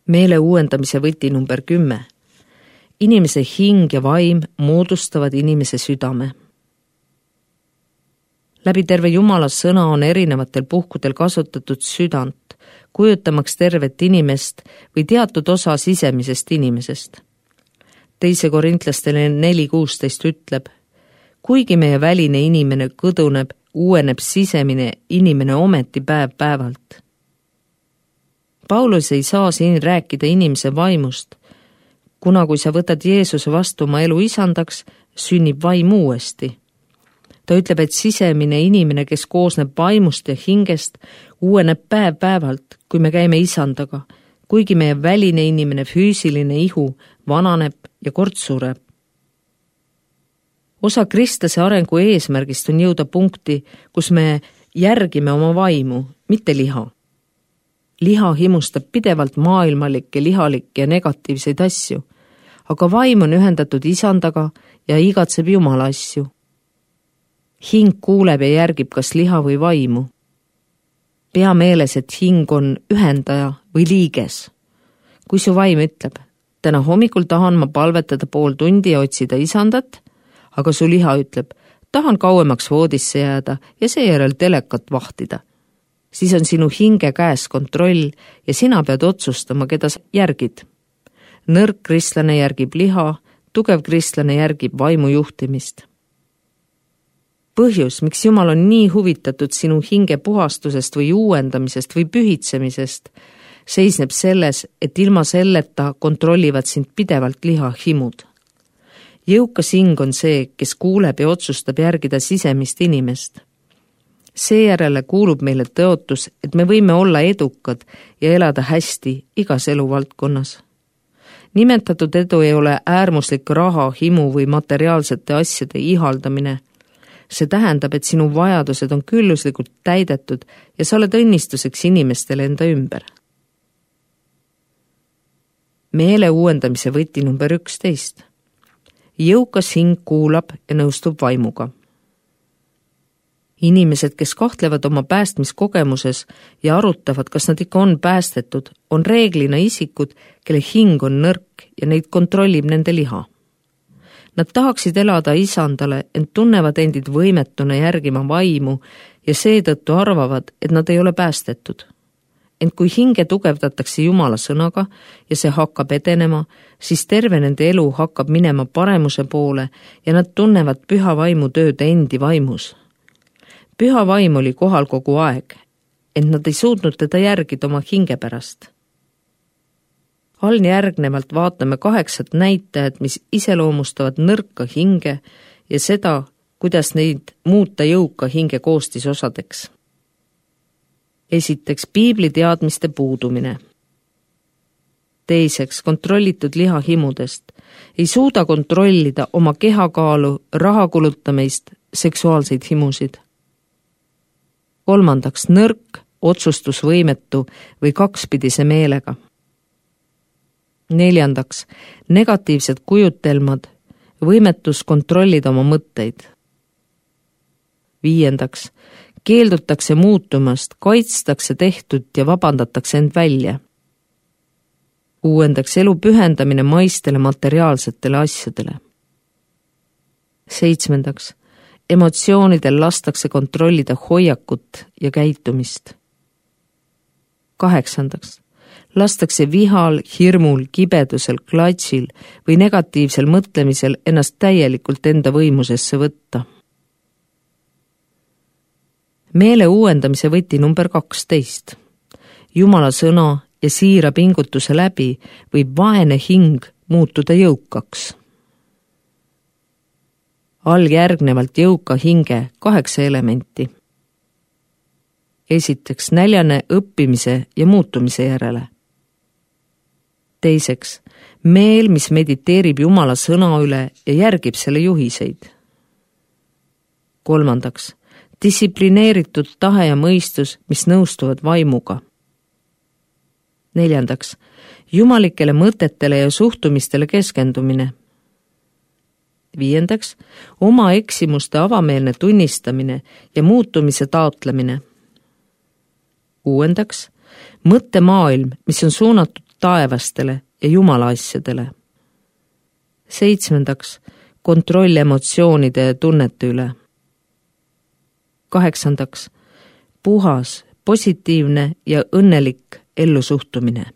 Meele uuendamise võti number 10. Inimese hing ja vaim moodustavad inimese südame. Läbi terve Jumala sõna on erinevatel puhkudel kasutatud südant, kujutamaks tervet inimest või teatud osa sisemisest inimesest. 2. Korintlastele 4:16 ütleb, kuigi meie väline inimene kõduneb, uueneb sisemine inimene ometi päev-päevalt. Paulus ei saa siin rääkida inimese vaimust, kuna kui sa võtad Jeesuse vastu oma elu isandaks, sünnib vaim uuesti. Ta ütleb, et sisemine inimene, kes koosneb vaimust ja hingest, uueneb päev-päevalt, kui me käime isandaga, kuigi meie väline inimene, füüsiline ihu vananeb ja kord sureb. Osa kristlase arengu eesmärgist on jõuda punkti, kus me järgime oma vaimu, mitte liha. Liha himustab pidevalt maailmalikke, lihalikke ja negatiivseid asju, aga vaim on ühendatud isandaga ja igatseb Jumala asju. Hing kuuleb ja järgib kas liha või vaimu. Pea meeles, et hing on ühendaja või liiges. Kui su vaim ütleb, täna hommikul tahan ma palvetada pool tundi ja otsida isandat, aga su liha ütleb, tahan kauemaks voodisse jääda ja seejärel telekat vahtida, siis on sinu hinge käes kontroll ja sina pead otsustama, keda sa järgid. Nõrk kristlane järgib liha, tugev kristlane järgib vaimu juhtimist. Põhjus, miks Jumal on nii huvitatud sinu hinge puhastusest või uuendamisest või pühitsemisest, seisneb selles, et ilma selleta kontrollivad sind pidevalt lihahimud. Jõukas hing on see, kes kuuleb ja otsustab järgida sisemist inimest. Seejärele kuulub meile tõotus, et me võime olla edukad ja elada hästi igas eluvaldkonnas. Nimetatud edu ei ole äärmuslik raha, himu või materiaalsete asjade ihaldamine. See tähendab, et sinu vajadused on külluslikult täidetud ja sa oled õnnistuseks inimestele enda ümber. Meele uuendamise võti number 11. Jõukas hing kuulab ja nõustub vaimuga. Inimesed, kes kahtlevad oma päästmiskogemuses ja arutavad, kas nad ikka on päästetud, on reeglina isikud, kelle hing on nõrk ja neid kontrollib nende liha. Nad tahaksid elada isandale, ent tunnevad endid võimetuna järgima vaimu ja seetõttu arvavad, et nad ei ole päästetud. Ent kui hinge tugevdatakse Jumala sõnaga ja see hakkab edenema, siis terve nende elu hakkab minema paremuse poole ja nad tunnevad püha vaimu tööd endi vaimus. Püha vaim oli kohal kogu aeg, ent nad ei suutnud teda järgida oma hinge pärast. Järgnevalt vaatame 8 näitajat, mis iseloomustavad nõrka hinge ja seda, kuidas neid muuta jõuka hinge koostisosadeks. Esiteks, piibli teadmiste puudumine. Teiseks, kontrollitud lihahimudest. Ei suuda kontrollida oma kehakaalu, raha kulutamist, seksuaalseid himusid. Kolmandaks, nõrk, otsustusvõimetu või kakspidise meelega. Neljandaks, negatiivsed kujutelmad, võimetus kontrollida oma mõtteid. Viiendaks, keeldutakse muutumast, kaitstakse tehtud ja vabandatakse end välja. Kuuendaks, elu pühendamine maistele materiaalsetele asjadele. Seitsmendaks, emotsioonidel lastakse kontrollida hoiakut ja käitumist. Kaheksandaks, lastakse vihal, hirmul, kibedusel, klatsil või negatiivsel mõtlemisel ennast täielikult enda võimusesse võtta. Meele uuendamise võti number 12. Jumala sõna ja siira pingutuse läbi võib vaene hing muutuda jõukaks. Järgnevalt jõuka hinge 8 elementi. Esiteks, näljane õppimise ja muutumise järele. Teiseks, meel, mis mediteerib Jumala sõna üle ja järgib selle juhiseid. Kolmandaks, distsiplineeritud tahe ja mõistus, mis nõustuvad vaimuga. Neljandaks, jumalikele mõtetele ja suhtumistele keskendumine. Viiendaks, oma eksimuste avameelne tunnistamine ja muutumise taotlemine. Kuuendaks, mõttemaailm, mis on suunatud taevastele ja Jumala asjadele. 7. kontroll emotsioonide ja tunnete üle. 8. puhas, positiivne ja õnnelik ellusuhtumine.